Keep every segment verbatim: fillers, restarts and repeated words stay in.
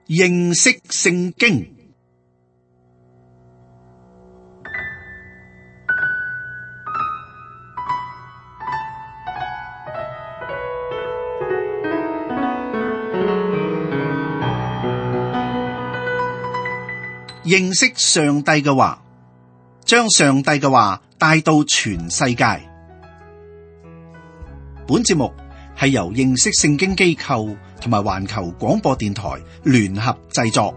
認識聖經。認識上帝嘅話，將上帝嘅話帶到全世界。本節目係由認識聖經機構同埋環球廣播電台聯合製作。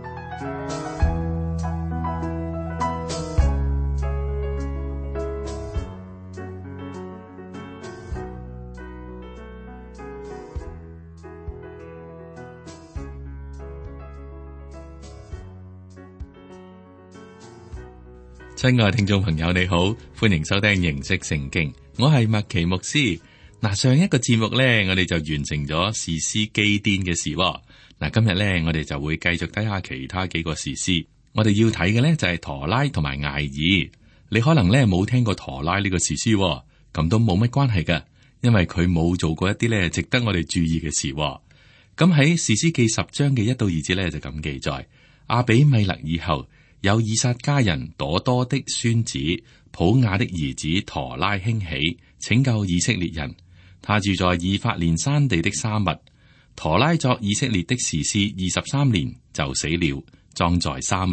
親愛聽眾朋友，你好，歡迎收聽認識聖經，我係麥奇牧師。嗱，上一個節目咧，我哋就完成咗士師基甸嘅事。嗱，今日咧，我哋就會繼續睇下其他幾個士師。我哋要睇嘅咧就係陀拉同埋艾爾。你可能咧冇聽過陀拉呢個士師，咁都冇乜關係噶，因為佢冇做過一啲咧值得我哋注意嘅事。咁喺士師記十章嘅一到二節咧就咁記載：亞比米勒以後，有以撒家人朵多的孫子普雅的兒子陀拉興起，拯救以色列人。他住在以法蓮山地的沙密。陀拉作以色列的士師二十三年就死了，葬在沙密。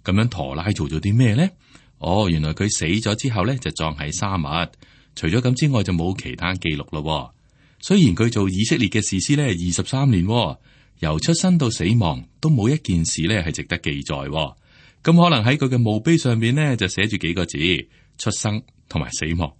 咁樣陀拉做咗啲咩呢？哦，原來佢死咗之後呢，就葬喺沙密。除咗咁之外就冇其他記錄咯。雖然佢做以色列嘅士師呢二十三年，由出生到死亡都冇一件事呢係值得記載。咁可能喺佢嘅墓碑上面呢，就寫住幾個字：出生同埋死亡。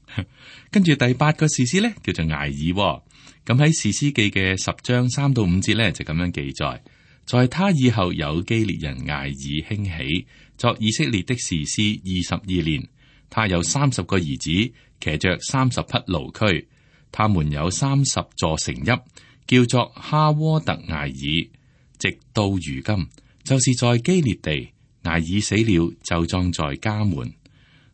跟住第八個士師呢，叫做艾爾。咁喺士師記嘅十章三到五節呢，就咁樣記載：在他以後有基列人艾爾興起，作以色列的士師二十二年。他有三十個兒子，騎着三十匹驢駒。他們有三十座城邑，叫做哈沃特艾爾，直到如今，就是在基列地。艾爾死了，就葬在家門。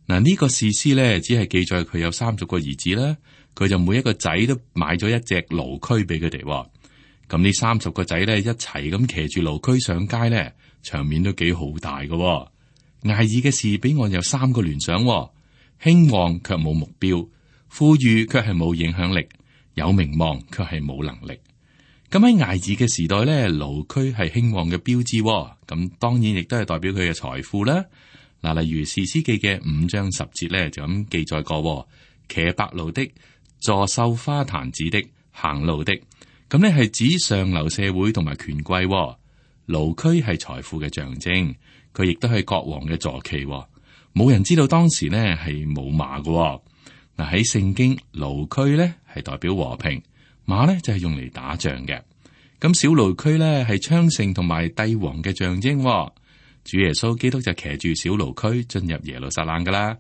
嗱，呢個士師咧，只係記載佢有三十個兒子啦，佢就每一個仔都買咗一隻驢駒俾佢哋。咁呢三十個仔咧，一齊咁騎住驢駒上街咧，場面都幾好大嘅。艾爾嘅事俾我有三個聯想：興旺卻冇目標，富裕卻係冇影響力，有名望卻係冇能力。咁喺艾爾嘅時代咧，驢駒係興旺嘅標誌，咁當然亦都係代表佢嘅財富啦。嗱，例如士師記嘅五章十節咧就咁記載過：騎白驢的，坐繡花毯子的，行路的。咁呢係指上流社會同埋權貴。驢駒係財富嘅象徵，佢亦都係國王嘅坐騎。冇人知道當時呢係冇馬嘅。嗱，喺聖經，驢駒咧係代表和平。馬咧就係用嚟打仗嘅，咁小驢駒咧係昌盛同埋帝王嘅象徵。主耶穌基督就騎住小驢駒進入耶路撒冷噶啦。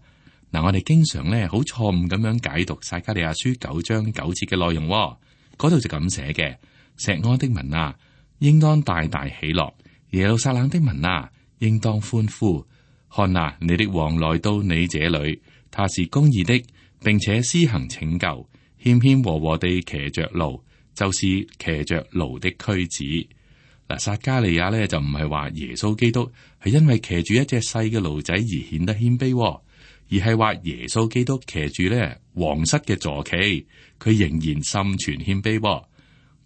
嗱，我哋經常咧好錯誤咁樣解讀撒迦利亞書九章九節嘅內容，嗰度就咁寫嘅：錫安的民啊，應當大大喜樂；耶路撒冷的民啊，應當歡呼。看啊，你的王來到你這裏，他是公義的，並且施行拯救。謙謙和和地騎着驢，就是騎着驢的駒子。嗱，撒迦利亞咧就唔係話耶穌基督係因為騎住一隻細嘅驢仔而顯得謙卑，而係話耶穌基督騎住咧皇室嘅坐騎，佢仍然心存謙卑。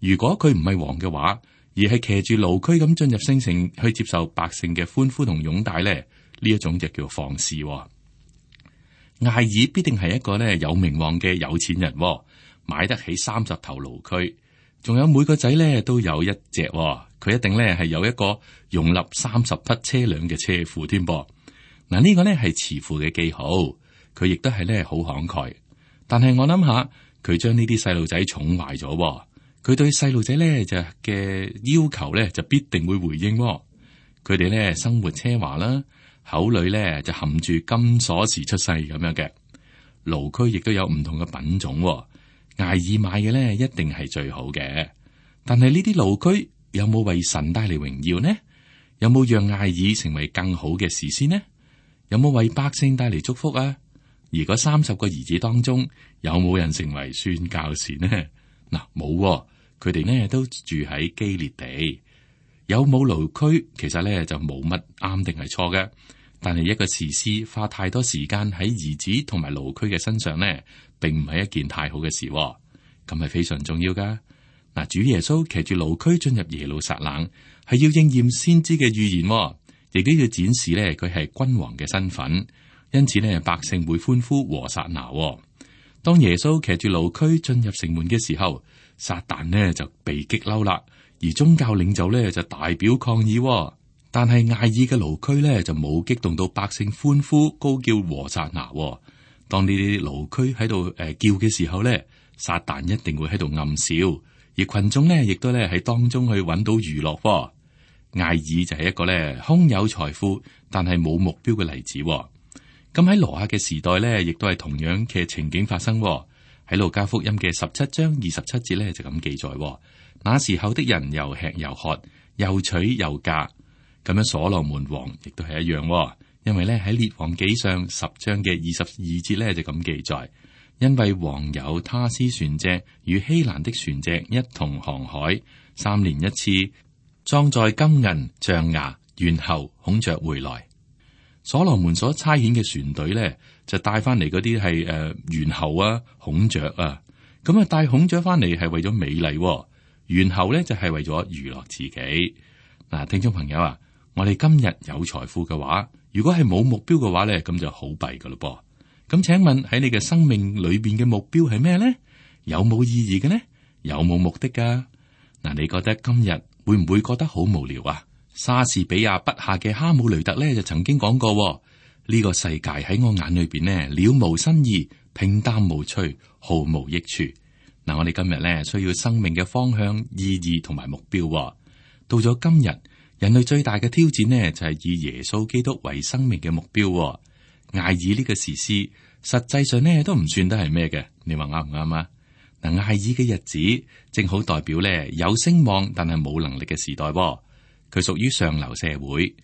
如果佢唔係王嘅話，而係騎住驢駒咁進入聖城去接受百姓嘅歡呼同擁戴咧，呢一種就叫放肆。艾爾必定係一個咧有名望嘅有錢人，買得起三十頭驢駒，仲有每個仔咧都有一隻，佢一定咧係有一個容納三十匹車輛嘅車庫添噃。嗱，呢個咧係慈父嘅記號，佢亦都係咧好慷慨。但係我諗下，佢將呢啲細路仔寵壞咗，佢對細路仔咧就嘅要求咧就必定會回應。佢哋咧生活奢華啦。口裏咧就含住金鎖匙出世咁樣嘅。驢駒亦都有唔同嘅品種，艾爾買嘅咧一定係最好嘅。但係呢啲驢駒有冇為神帶嚟榮耀呢？有冇讓艾爾成為更好嘅士師呢？有冇為百姓帶嚟祝福啊？而嗰三十個兒子當中有冇人成為宣教士呢？嗱，冇，佢哋呢都住喺基列地。有冇驢駒，其實咧就冇乜啱定係錯嘅。但係一個士師花太多時間喺兒子同埋驢駒嘅身上呢，並唔係一件太好嘅事，咁係非常重要噶。嗱，主耶穌騎住驢駒進入耶路撒冷，係要應驗先知嘅預言，亦都要展示呢佢係君王嘅身份。因此呢，百姓會歡呼和撒那。當耶穌騎住驢駒進入城門嘅時候，撒旦呢就被激嬲啦，而宗教領袖呢就大表抗議。但係艾爾嘅驢駒咧就冇激動到百姓歡呼高叫和撒那。當呢啲驢駒喺度誒叫嘅時候咧，撒旦一定會喺度暗笑，而群眾咧亦都咧喺當中去揾到娛樂。艾爾就係一個咧空有財富但係冇目標嘅例子。咁喺羅亞嘅時代咧，亦都係同樣嘅情景發生。喺路加福音嘅十七章二十七節咧就咁記載：那時候的人又吃又喝，又娶又嫁。咁樣所羅門王亦都係一樣，因為咧喺列王紀上十章嘅二十二節咧就咁記載，因為王有他施船隻與希蘭的船隻一同航海，三年一次，裝載金銀象牙猿猴孔雀回來。所羅門所差遣嘅船隊咧就帶翻嚟嗰啲係誒猿猴啊孔雀啊，咁啊帶孔雀翻嚟係為咗美麗，猿猴咧就係為咗娛樂自己。嗱，聽眾朋友啊，我哋今日有財富嘅話，如果係冇目標嘅話咧，咁就好弊噶咯噃。咁請問喺你嘅生命裏邊嘅目標係咩咧？有冇意義嘅呢？有冇目的噶？嗱，你覺得今日會唔會覺得好無聊啊？莎士比亞筆下嘅哈姆雷特咧就曾經講過：呢個世界喺我眼裏邊呢，了無新意，平淡無趣，毫無益處。嗱，我哋今日咧需要生命嘅方向、意義同埋目標。到咗今日，人類最大嘅挑戰呢，就係以耶穌基督為生命嘅目標。艾爾呢個士師，實際上呢都唔算得係咩嘅，你話啱唔啱啊？嗱，艾爾嘅日子正好代表咧有聲望但係冇能力嘅時代。佢屬於上流社會。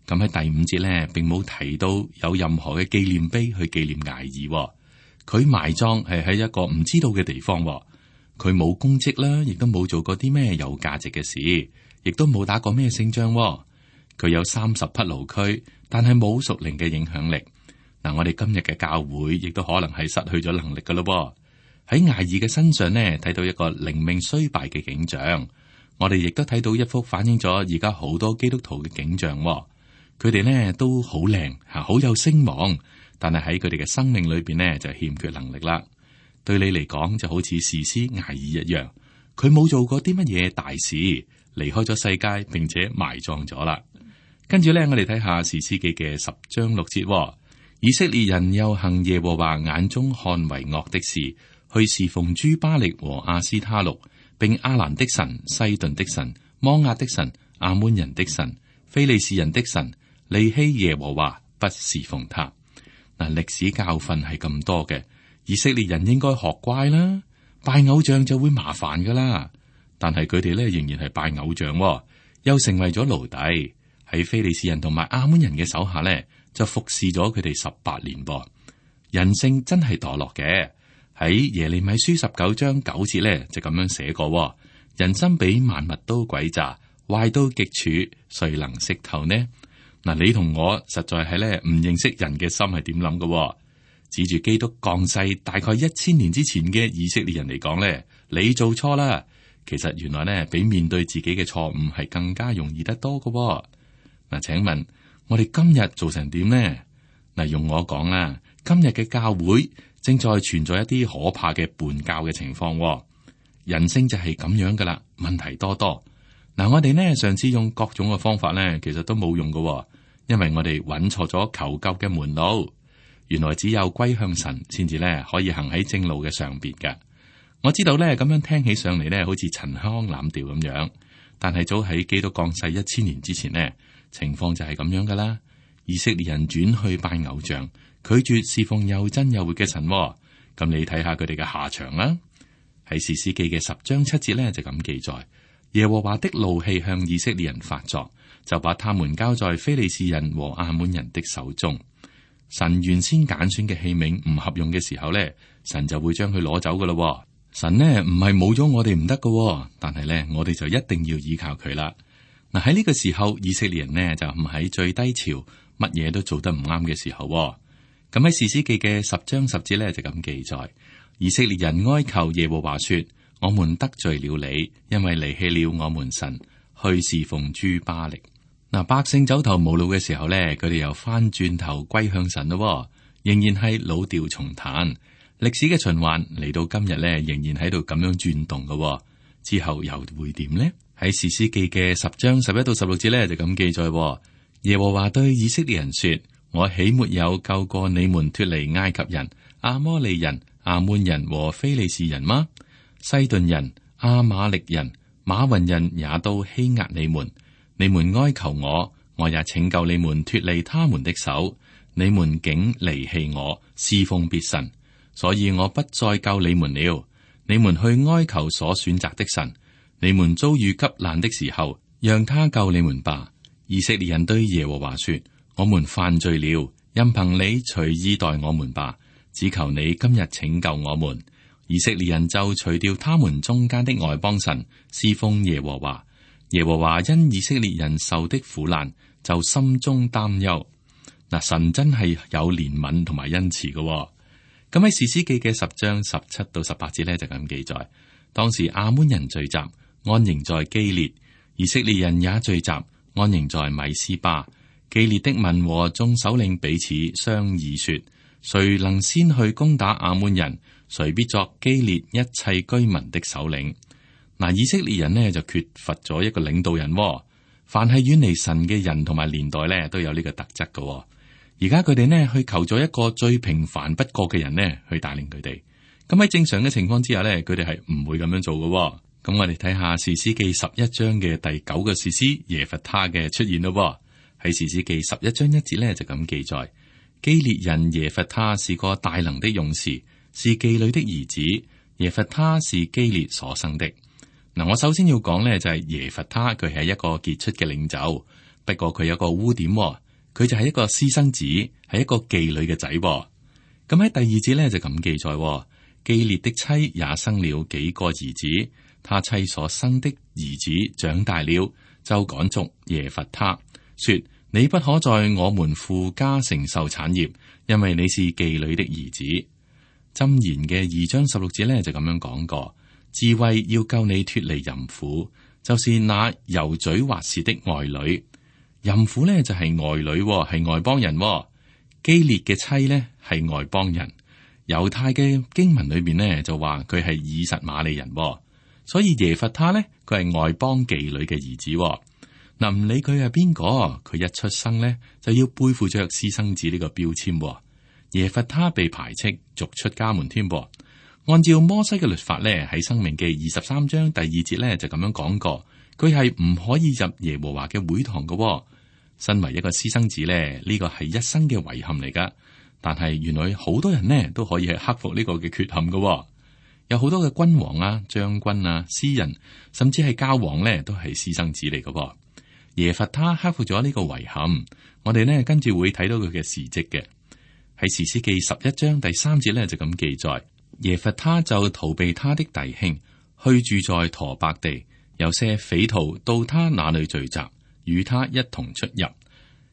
咁喺第五節咧，並冇提到有任何嘅紀念碑去紀念艾爾。佢埋葬係喺一個唔知道嘅地方。佢冇功績啦，亦都冇做過啲咩有價值嘅事。亦都冇打過咩勝仗。佢有三十匹驢駒，但係冇屬靈嘅影響力。嗱，我哋今日嘅教會亦都可能係失去咗能力噶咯。喺艾爾嘅身上呢，睇到一個靈命衰敗嘅景象。我哋亦都睇到一幅反映咗而家好多基督徒嘅景象。佢哋呢都好靚吓，好有聲望，但係喺佢哋嘅生命裏邊呢，就欠缺能力啦。對你嚟講就好似士師艾爾一樣，佢冇做過啲乜嘢大事，離開咗世界，並且埋葬咗啦。跟住咧，我哋睇下士師記嘅十章六節，以色列人又行耶和華眼中看為惡的事，去侍奉諸巴力和亞斯他錄，並亞蘭的神、西頓的神、摩押的神、亞捫人的神、非利士人的神，離棄耶和華，不侍奉他。嗱，歷史教訓係咁多嘅，以色列人應該學乖啦，拜偶像就會麻煩噶啦。但係佢哋咧仍然係拜偶像，又成為咗奴隸，喺非利士人同埋亞捫人嘅手下咧，就服侍咗佢哋十八年噃。人性真係墮落嘅，喺耶利米書十九章九節咧就咁樣寫過：人心比萬物都詭詐，壞到極處，誰能識透呢？嗱，你同我實在係咧唔認識人嘅心係點諗嘅。指住基督降世大概一千年之前嘅以色列人嚟講咧，你做錯啦。其實原來咧，比面對自己嘅錯誤係更加容易得多嘅。嗱，請問我哋今日做成點呢？嗱，用我講啦，今日嘅教會正在存在一啲可怕嘅叛教嘅情況。人性就係咁樣噶啦，問題多多。嗱，我哋呢上次用各種嘅方法咧，其實都冇用嘅，因為我哋揾錯咗求救嘅門路。原來只有歸向神，先至咧可以行喺正路嘅上邊嘅。我知道咧，咁樣聽起上嚟咧，好似陳腔濫調咁樣。但係早喺基督降世一千年之前呢，情況就係咁樣噶啦。以色列人轉去拜偶像，拒絕侍奉又真又活嘅神。咁你睇下佢哋嘅下場啦。喺士師記嘅十章七節咧就咁記載：耶和華的怒氣向以色列人發作，就把他們交在非利士人和亞捫人的手中。神原先揀選嘅器皿唔合用嘅時候咧，神就會將佢攞走噶啦。神呢唔係冇咗我哋唔得噶，但係咧我哋就一定要依靠佢啦。嗱，喺呢個時候，以色列人呢就唔喺最低潮，乜嘢都做得唔啱嘅時候。咁喺士師記嘅十章十節呢，就咁記載：以色列人哀求耶和華說：我們得罪了你，因為離棄了我們神，去侍奉諸巴力。嗱，百姓走投無路嘅時候呢，佢哋又翻轉頭歸向神咯，仍然係老調重彈。歷史嘅循環嚟到今日呢，仍然喺度咁樣轉動嘅。之後又會點呢？喺士師記嘅十章十一到十六節呢，就咁記載：耶和華對以色列人說：我豈沒有救過你們脫離埃及人、亞摩利人、亞捫人和非利士人嗎？西頓人、亞瑪力人、瑪雲人也都欺壓你們。你們哀求我，我也拯救你們脫離他們的手。你們竟離棄我，侍奉別神，所以我不再救你們了。你們去哀求所選擇的神。你們遭遇急難的時候，讓他救你們吧。以色列人對耶和華說：我們犯罪了，任憑你隨意待我們吧，只求你今日拯救我們。以色列人就除掉他們中間的外邦神，侍奉耶和華。耶和華因以色列人受的苦難，就心中擔憂。嗱，神真係有憐憫同埋恩慈嘅。咁喺士師記嘅十章十七到十八節呢，就咁記載：當時亞捫人聚集，安營在基列；以色列人也聚集，安營在米斯巴。基列的民和眾首領彼此商議說：誰能先去攻打亞捫人，誰必作基列一切居民的首領。嗱，以色列人呢就缺乏咗一個領導人。凡係遠離神嘅人同埋年代呢，都有呢個特質嘅。而家佢哋呢去求咗一個最平凡不過嘅人呢去帶領佢哋。咁喺正常嘅情況之下呢，佢哋係唔會咁樣做嘅。咁我哋睇下士師記十一章嘅第九個士師耶弗他嘅出現咯。喺士師記十一章一節呢，就咁記載：基列人耶弗他是個大能的勇士，是妓女的兒子。耶弗他是基列所生的。嗱，我首先要講呢，就係耶弗他佢係一個傑出嘅領袖，不過佢有個污點。佢就係一個私生子，係一個妓女嘅仔。咁喺第二節呢，就咁記載：基列的妻也生了幾個兒子，他妻所生的兒子長大了，就趕逐耶弗他，說：你不可在我們父家承受產業，因為你是妓女的兒子。箴言嘅二章十六節呢，就咁樣講過：智慧要救你脫離淫婦，就是那油嘴滑舌的外女。淫婦呢就係外女，係外邦人。基列嘅妻呢係外邦人。猶太嘅經文裏邊呢就話佢係以實瑪利人，所以耶弗他呢佢係外邦妓女嘅兒子。嗱，唔理佢係邊個，佢一出生呢就要背負着私生子呢個標籤。耶弗他被排斥，逐出家門添噃。按照摩西嘅律法呢，喺申命記二十三章第二節呢就咁樣講過，佢係唔可以入耶和華嘅會堂嘅。身為一個私生子咧，呢個係一生嘅遺憾嚟噶。但係原來好多人呢都可以係克服呢個嘅缺陷噶。有好多嘅君王啊、將軍啊、詩人，甚至係教皇呢，都係私生子嚟噶。耶弗他克服咗呢個遺憾，我哋呢跟住會睇到佢嘅事蹟嘅。喺士師記十一章第三節呢，就咁記載：耶弗他就逃避他的弟兄，去住在陀伯地，有些匪徒到他那裏聚集，與他一同出入。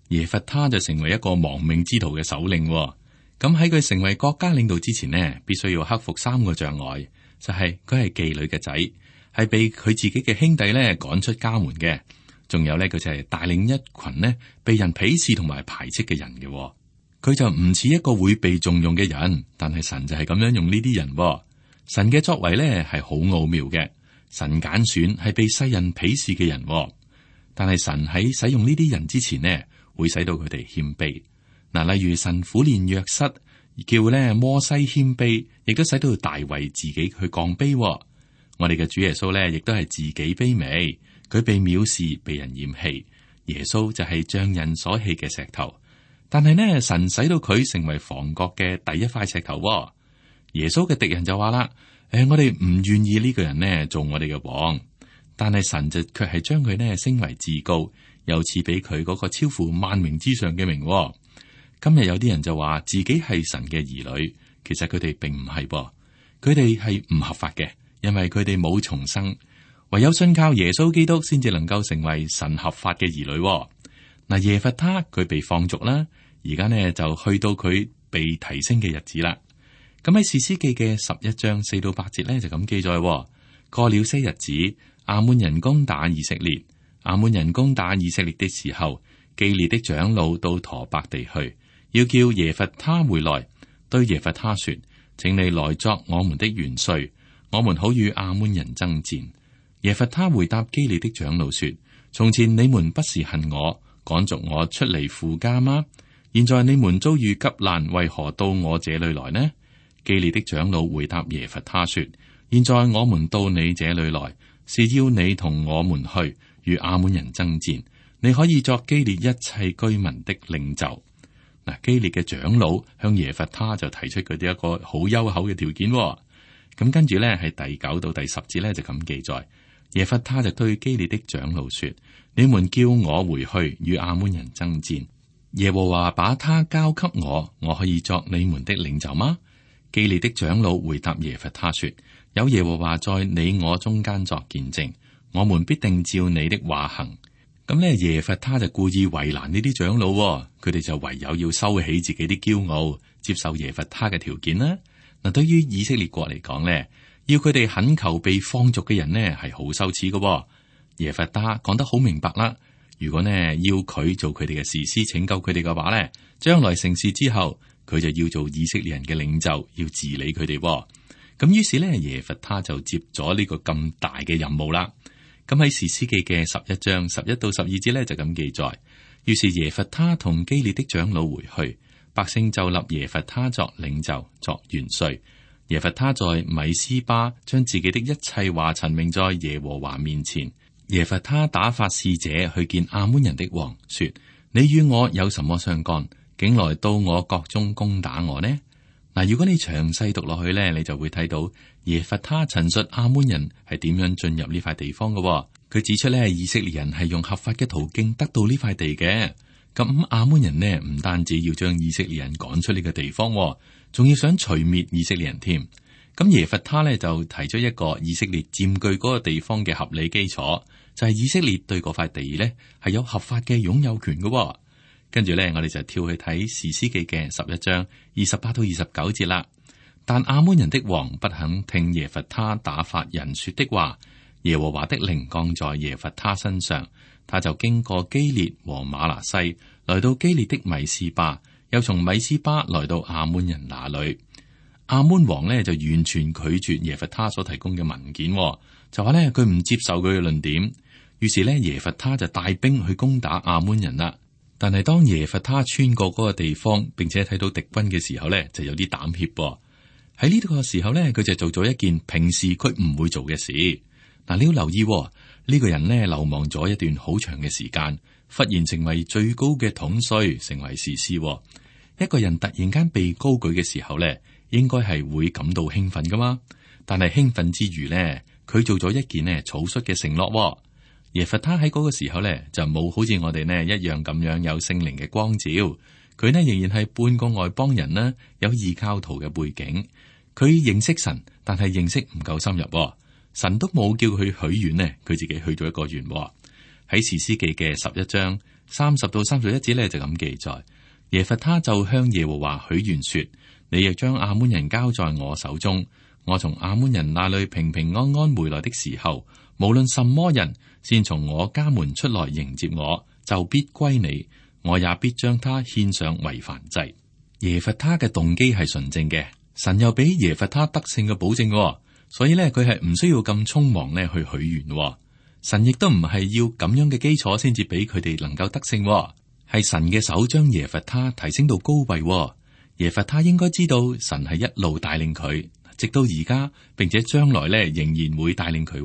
耶弗他就成為一個亡命之徒嘅首領。咁喺佢成為國家領導之前呢，必須要克服三個障礙，就係佢係妓女嘅仔，係被佢自己嘅兄弟咧趕出家門嘅。仲有咧，佢就係帶領一群呢被人鄙視同埋排斥嘅人嘅。佢就唔似一個會被重用嘅人，但係神就係咁樣用呢啲人。神嘅作為咧係好奧妙嘅，神揀選係被世人鄙視嘅人。但係神喺使用呢啲人之前呢，會使到佢哋謙卑。嗱，例如神苦練約瑟，叫咧摩西謙卑，亦都使到大衛自己去降卑。我哋嘅主耶穌咧，亦都係自己卑微，佢被藐視，被人嫌棄。耶穌就係匠人所棄嘅石頭，但係呢，神使到佢成為房角嘅第一塊石頭。耶穌嘅敵人就話啦：誒、哎，我哋唔願意呢個人呢做我哋嘅王。但係神就卻係將佢呢升為至高，又賜俾佢嗰個超乎萬名之上嘅名。今日有啲人就話自己係神嘅兒女，其實佢哋並唔係噃，佢哋係唔合法嘅，因為佢哋冇重生。唯有信靠耶穌基督，先至能夠成為神合法嘅兒女。嗱，耶弗他佢被放逐啦，而家呢就去到佢被提升嘅日子啦。咁喺士師記嘅十一章四到八節呢，就咁記載：過了些日子，亞捫人攻打以色列。亞捫人攻打以色列的時候，基列的長老到陀伯地去，要叫耶弗他回來，對耶弗他說：請你來作我們的元帥，我們好與亞捫人爭戰。耶弗他回答基列的長老說：從前你們不是恨我，趕逐我出離父家嗎？現在你們遭遇急難，為何到我這裏來呢？基列的長老回答耶弗他說：現在我們到你這裏來，是要你同我們去與亞捫人爭戰，你可以作基列一切居民的領袖。嗱，基列嘅長老向耶弗他就提出佢哋一個好優厚嘅條件。咁跟住咧，係第九到第十節咧就咁記載。耶弗他就對基列的長老說：你們叫我回去與亞捫人爭戰，耶和華把他交給我，我可以作你們的領袖嗎？基列的長老回答耶弗他說：有耶和華在你我中間作見證，我們必定照你的話行。咁呢，耶弗他就故意為難呢啲長老，佢哋就唯有要收起自己啲驕傲，接受耶弗他嘅條件啦。嗱，對於以色列國嚟講呢，要佢哋懇求被放逐嘅人呢，係好羞恥嘅。耶弗他講得好明白啦，如果呢要佢做佢哋嘅士師拯救佢哋嘅話呢，將來成事之後，佢就要做以色列人嘅領袖，要治理佢哋。咁於是呢，耶弗他就接咗呢個咁大嘅任務啦。咁喺士師記嘅十一章十一到十二節呢，就咁記載。於是耶弗他同基列的長老回去，百姓就立耶弗他作領袖，作元帥。耶弗他在米斯巴將自己的一切話陳明在耶和華面前。耶弗他打發使者去見亞捫人的王，說：你與我有什麼相干，竟來到我國中攻打我呢？嗱，如果你詳細讀落去呢，你就會睇到耶弗他陳述亞捫人係點樣進入呢塊地方嘅。佢指出呢，以色列人係用合法嘅途徑得到呢塊地嘅。咁亞捫人呢，唔單止要將以色列人趕出呢個地方，仲要想除滅以色列人添。咁耶弗他呢，就提出一個以色列佔據嗰個地方嘅合理基礎，就係以色列對嗰塊地呢係有合法嘅擁有權嘅。跟住呢，我哋就跳去睇士師記嘅十一章二十八到二十九節啦。但亞捫人的王不肯聽耶弗他打發人說的話，耶和華的靈降在耶弗他身上，他就經過基列和瑪拿西，來到基列的米斯巴，又從米斯巴來到亞捫人那裏。亞捫王呢就完全拒絕耶弗他所提供嘅文件，就話呢，佢唔接受佢嘅論點。於是呢，耶弗他就帶兵去攻打亞捫人啦。但係當耶弗他穿過嗰個地方，並且睇到敵軍嘅時候呢，就有啲膽怯。喺呢個時候呢，佢就做咗一件平時佢唔會做嘅事。嗱，你要留意呢、呢個人呢，流亡咗一段好長嘅時間，忽然成為最高嘅統帥，成為士師。一個人突然間被高舉嘅時候呢，應該係會感到興奮噶嘛。但係興奮之餘呢，佢做咗一件呢草率嘅承諾。耶弗他喺嗰個時候呢，就冇好似我哋呢一樣咁樣有聖靈嘅光照，佢呢仍然係半個外邦人啦，有異教徒嘅背景。佢認識神，但係認識唔夠深入，神都冇叫佢許願呢，佢自己許咗一個願。喺士師記嘅十一章三十到三十一節呢，就咁記載，耶弗他就向耶和華許願說：你亦將亞捫人交在我手中，我從亞捫人那裏平平安安回來的時候，無論什麼人先從我家門出來迎接我，就必歸你，我也必將他獻上為燔祭。耶弗他嘅動機係純正嘅，神又俾耶弗他得勝嘅保證，所以咧佢係唔需要咁匆忙咧去許願。神亦都唔係要咁樣嘅基礎先至俾佢哋能夠得勝，係神嘅手將耶弗他提升到高位。耶弗他應該知道神係一路帶領佢，直到而家，並且將來咧仍然會帶領佢。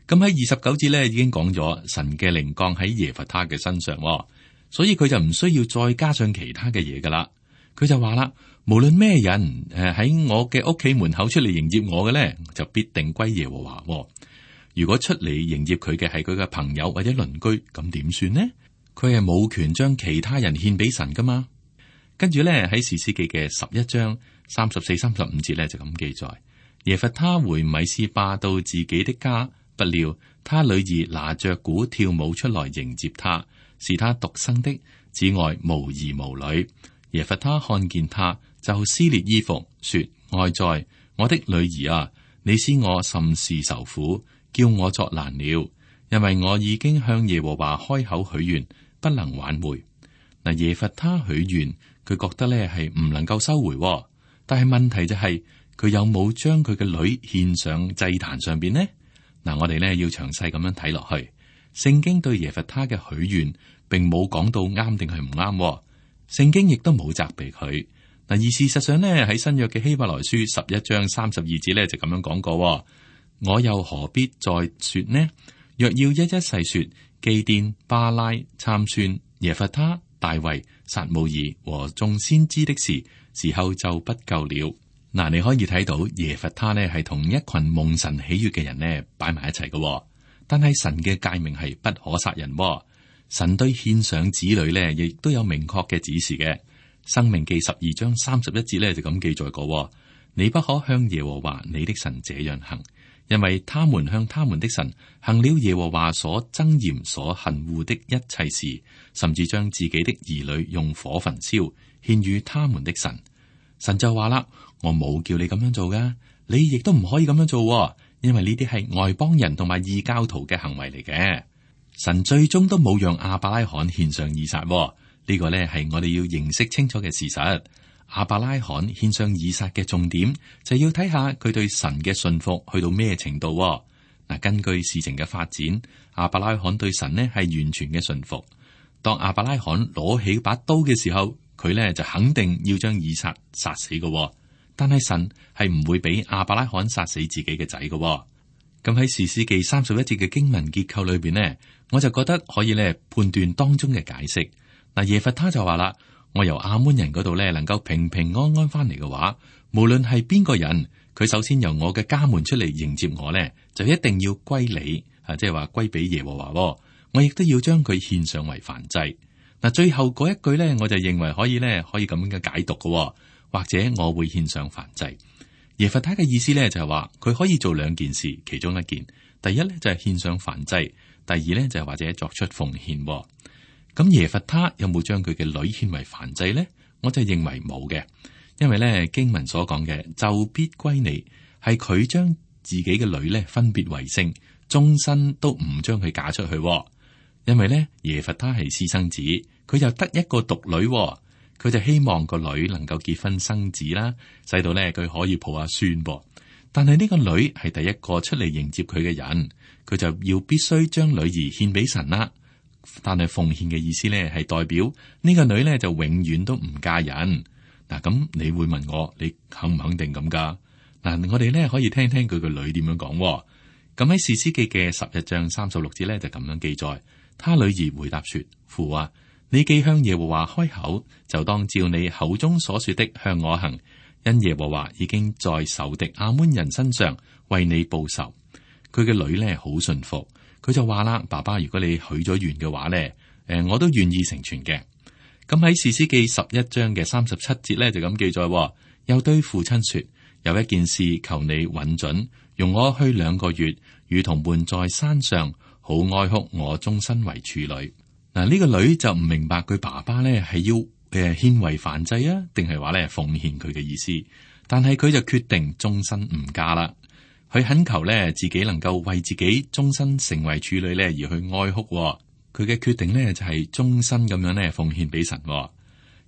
咁喺二十九節咧已經講咗神嘅靈降喺耶弗他嘅身上，所以佢就唔需要再加上其他嘅嘢噶啦。佢就話啦，無論咩人誒喺我嘅屋企門口出嚟迎接我嘅咧，就必定歸耶和華。如果出嚟迎接佢嘅係佢嘅朋友或者鄰居，咁點算呢？佢係冇權將其他人獻俾神噶嘛。跟住咧喺士師記嘅十一章三十四、三十五節咧就咁記載，耶弗他回米斯巴到自己的家。不料他女兒拿着鼓跳舞出來迎接他，是他獨生的，此外無兒無女。耶弗他看見他，就撕裂衣服，說：哀哉，我的女兒啊，你使我甚是受苦，叫我作難了，因為我已經向耶和華開口許願，不能挽回。嗱，耶弗他許願，佢覺得咧係唔能夠收回，但係問題就係、是、佢有冇將佢嘅女獻上祭壇上邊呢？嗱，我哋咧要詳細咁樣睇落去。聖經對耶弗他嘅許願，並冇講到啱定係唔啱。聖經亦都冇責備佢。嗱，而事實上呢，喺新約嘅希伯來書十一章三十二節咧就咁樣講過：我又何必再說呢？若要一一細說，基甸、巴拉、參孫、耶弗他、大衛、撒母耳和眾先知的事，時候就不夠了。嗱，你可以睇到耶弗他呢係同一群蒙神喜悅嘅人呢擺埋一齊嘅，但係神嘅誡命係不可殺人。神對獻上子女呢，亦都有明確嘅指示嘅。申命記十二章三十一節呢，就咁記載過：你不可向耶和華你的神這樣行，因為他們向他們的神行了耶和華所憎厭、所恨惡的一切事，甚至將自己的兒女用火焚燒，獻與他們的神。神就話啦：我冇叫你咁樣做噶，你亦都唔可以咁樣做，因為呢啲係外邦人同埋異教徒嘅行為嚟嘅。神最終都冇讓亞伯拉罕獻上以撒，呢、這個呢係我哋要認識清楚嘅事實。亞伯拉罕獻上以撒嘅重點就要睇下佢對神嘅信服去到咩程度。嗱，根據事情嘅發展，亞伯拉罕對神呢係完全嘅信服。當亞伯拉罕攞起把刀嘅時候，佢呢就肯定要將以撒殺死嘅。但係神係唔會俾亞伯拉罕殺死自己嘅仔嘅。咁喺士師記三十一節嘅經文結構裏邊呢，我就覺得可以咧判斷當中嘅解釋。嗱，耶弗他就話啦：我由亞捫人嗰度咧能夠平平安安翻嚟嘅話，無論係邊個人，佢首先由我嘅家門出嚟迎接我咧，就一定要歸你啊，即係話歸俾耶和華。我亦都要將佢獻上為燔祭。嗱，最後嗰一句咧，我就認為可以咧可以咁樣嘅解讀嘅，或者我會獻上燔祭。耶弗他嘅意思咧就係話佢可以做兩件事，其中一件，第一咧就係獻上燔祭，第二咧就係或者作出奉獻。咁耶弗他有冇將佢嘅女獻為燔祭咧？我就認為冇嘅，因為咧經文所講嘅就必歸你，係佢將自己嘅女咧分別為聖，終身都唔將佢嫁出去。因為咧耶弗他係私生子，佢就得一個獨女。佢就希望個女能夠結婚生子啦，使到咧佢可以抱下孫噃。但係呢個女係第一個出嚟迎接佢嘅人，佢就要必須將女兒獻俾神啦。但係奉獻嘅意思咧係代表呢個女咧就永遠都唔嫁人。嗱，咁你會問我，你肯唔肯定咁噶？嗱，我哋咧可以聽聽佢個女點樣講。咁喺士師記嘅十一章三十六節咧就咁樣記載，他女兒回答說：父啊，你既向耶和華開口，就當照你口中所說的向我行，因耶和華已經在仇敵亞捫人身上為你報仇。佢嘅女咧好信服，佢就話啦：爸爸，如果你許咗願嘅話咧，誒，我都願意成全嘅。咁喺士師記十一章嘅三十七節咧就咁記載，又對父親說：有一件事求你允准，容我去兩個月，與同伴在山上，好哀哭我終身為處女。嗱，呢個女就唔明白佢爸爸咧係要誒獻為燔祭啊，定係話咧奉獻佢嘅意思。但係佢就決定終身唔嫁啦。佢懇求咧自己能夠為自己終身成為處女咧而去哀哭。佢嘅決定咧就係終身咁樣咧奉獻俾神。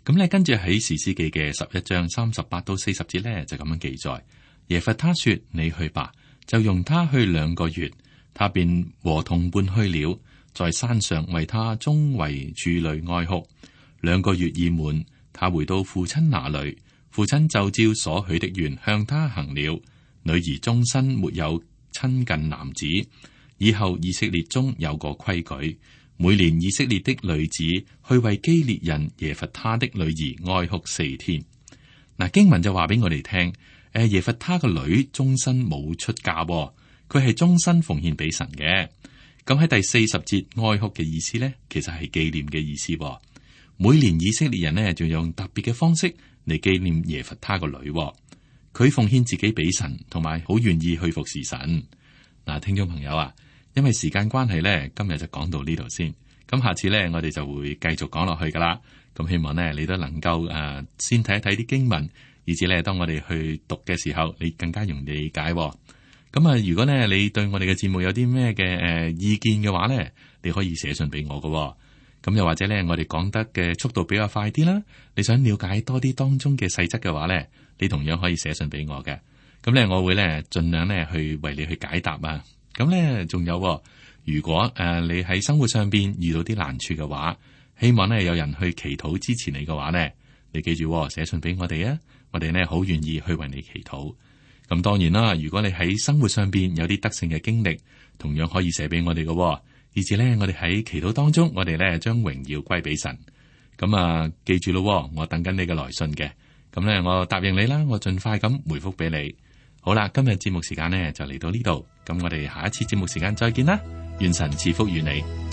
咁咧跟住喺士師記嘅十一章三十八到四十節咧就咁樣記載：耶弗他說：你去吧，就容他去兩個月。他便和同伴去了，在山上為他終為處女哀哭。兩個月已滿，他回到父親那裏，父親就照所許的願向他行了。女兒終身沒有親近男子。以後以色列中有個規矩，每年以色列的女子去為基列人耶弗他的女兒哀哭四天。嗱，經文就話俾我哋聽，誒，耶弗他個女終身冇出嫁，佢係終身奉獻俾神嘅。咁喺第四十節哀哭嘅意思呢，其實係紀念嘅意思。每年以色列人呢，就用特別嘅方式嚟紀念耶弗他個女。佢奉獻自己俾神，同埋好願意去服侍神。嗱，聽眾朋友啊，因為時間關係咧，今日就講到呢度先。咁下次咧，我哋就會繼續講落去噶啦。咁希望咧，你都能夠誒、呃，先睇一睇啲經文，以至咧，當我哋去讀嘅時候，你更加容易理解、哦。咁啊，如果咧你對我哋嘅節目有啲咩嘅誒意見嘅話咧，你可以寫信俾我噶、哦。咁又或者咧，我哋講得嘅速度比較快啲啦，你想了解多啲當中嘅細則嘅話咧，你同樣可以寫信俾我嘅。咁咧，我會咧盡量咧去為你去解答啊。咁咧，仲有、哦。如果誒、呃、你喺生活上邊遇到啲難處嘅話，希望咧有人去祈禱支持你嘅話咧，你記住寫、哦、信俾我哋啊，我哋咧好願意去為你祈禱。咁當然啦，如果你喺生活上邊有啲得勝嘅經歷，同樣可以寫俾我哋嘅、哦，以至咧我哋喺祈禱當中，我哋咧將榮耀歸俾神。咁啊，記住咯，我等緊你嘅來信嘅。咁咧，我答應你啦，我盡快咁回覆俾你。好啦，今日節目時間呢就嚟到呢度，咁我哋下一次節目時間再見啦。願神賜福與你。